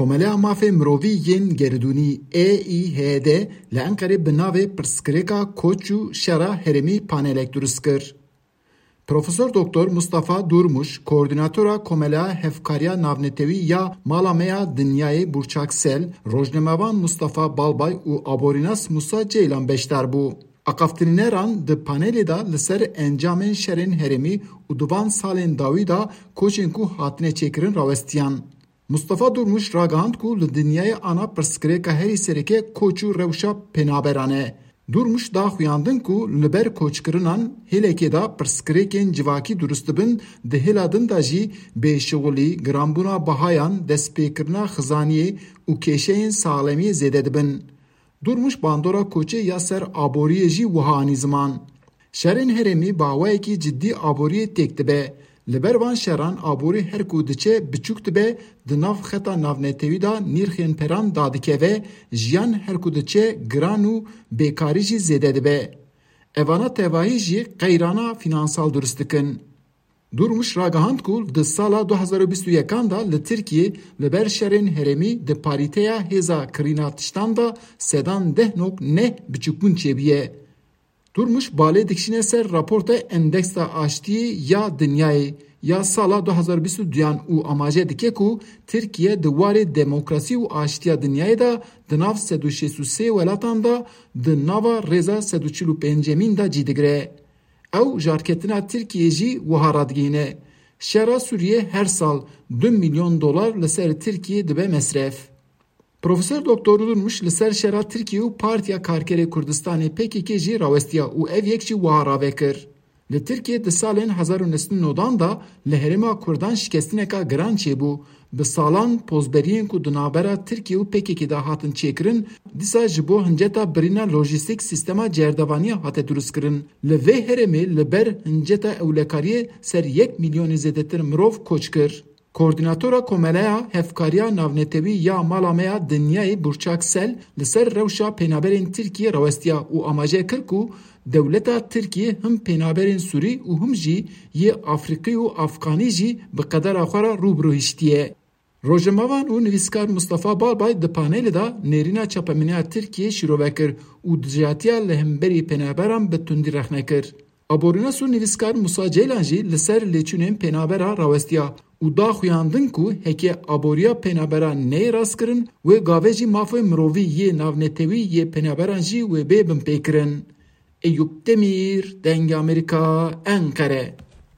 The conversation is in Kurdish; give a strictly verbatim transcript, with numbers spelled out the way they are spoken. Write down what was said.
Komeleya Mafê Mirovî yên Geridûnî E İ H D li Enqerê bi navê Pirsgirêka Koç û Şera Herêmî panelek durust kir. Profesor Doktor Mustafa Durmuş, koordînatora Komeleya Hevkariya Navnetewî ya Mala Me ya Dinyayê Burçak Sel, rojnamevan Mustafa Balbay û aborînas Musa Ceylan beşdar bû. Aqaftinîneran di panelê de li ser encamên şerên herêmî û di van salên dawî de koçên ku hatine çêkirin rawestiyan. Mustafa Durmuş ragihand ku li dinyayê ana pirsgirêka herî sereke koç û rewşa penaberan e. Durmuş da xuyandin ku li ber koçkirinan hêlekê de pirsgirêkên civakî durust dibin, di hêla din de jî bêşixulî, giranbûna bihayan, destpêkirina xizaniyê û kêşeyên saxlemiyê zêde dibin. Durmuş bandora koçê ya ser aboriyê jî wiha anî ziman. Şerên herêmî bi awayekî cidî aboriyê têk dibe. Li ber van şeran aborî her ku diçe biçûk dibe, di nav xeta navnetewî de nirxên peran dadikeve, jiyan her ku diçe giran û bêkarî jî zêde dibe. Evana tevahî jî qeyrana fînansal durust dikin. Durmuş ragihand ku di sala du hezar û bîst û yekan de li Tirkiyê li ber şerên herêmî di parîteya hêza kirîna tiştan de sedan deh nok neh biçûkbûn çêbûye. Durmuş balê dikişîne ser raporta Endeksa Aştiyê ya Dinyayê ya sala du hezar û bîst û duyan û amaje dike ku Tirkiye di warê demokrasî û aştiya dinyayê de di nav sed û şêst û sê welatan de di nava rêza sed û çil û pêncemîn de cî digire. Ew jarketina Tirkiyê jî wiha radigihîne. Şera Sûriyê her sal du milyon dolar li ser Tirkiyê dibe mesref. Profesor Doktor Durmuş li ser şera Tirkiye û Partiya Karkerê Kurdistanê P K K jî rawestiya û ev yek jî wiha rave kir. Li Tirkiye di salên hezar û neh sed û newdan de li herêma Kurdan şikestineka giran çêbû. Bi salan pozberiyên ku di navbera Tirkiye û P K K de hatin çêkirin, dîsa ji bo hinceta birîna lojîstîk sîstema cerdevaniya hate durustkirin. Li vê herêmê li ber hinceta ewlekariyê ser yek milyonî zêdetir mirov koç kir. Koordînatora Komeleya Hevkariya Navnetewî ya Mala Me ya Dinyayê Burçak Sel li ser rewşa penaberên Tirkiyê rawestiya û amaje kir ku dewleta Tirkiyê him penaberên Sûrî û him jî yê Afrîqî û Afxanî jî bi qedera xwe re rû bi rû hiştiye. Rojnamevan û nivîskar Mustafa Balbay di panelê de nêrîna çapemeniya Tirkiyê şîrove kir û dijatiya li hemberî penaberan bi tundî rexne kir. Aborînas û nivîskar Musa Ceylan jî li ser lêçûnên penabera rawestiya û da xuyandin ku heke aboriya penabera neyê rastkirin, wê gavê jî mafê mirovî yê navnetewî yê penaberan jî wê bê binpêkirin. Eyûp Demîr, Dengê Amerîka, Enqere.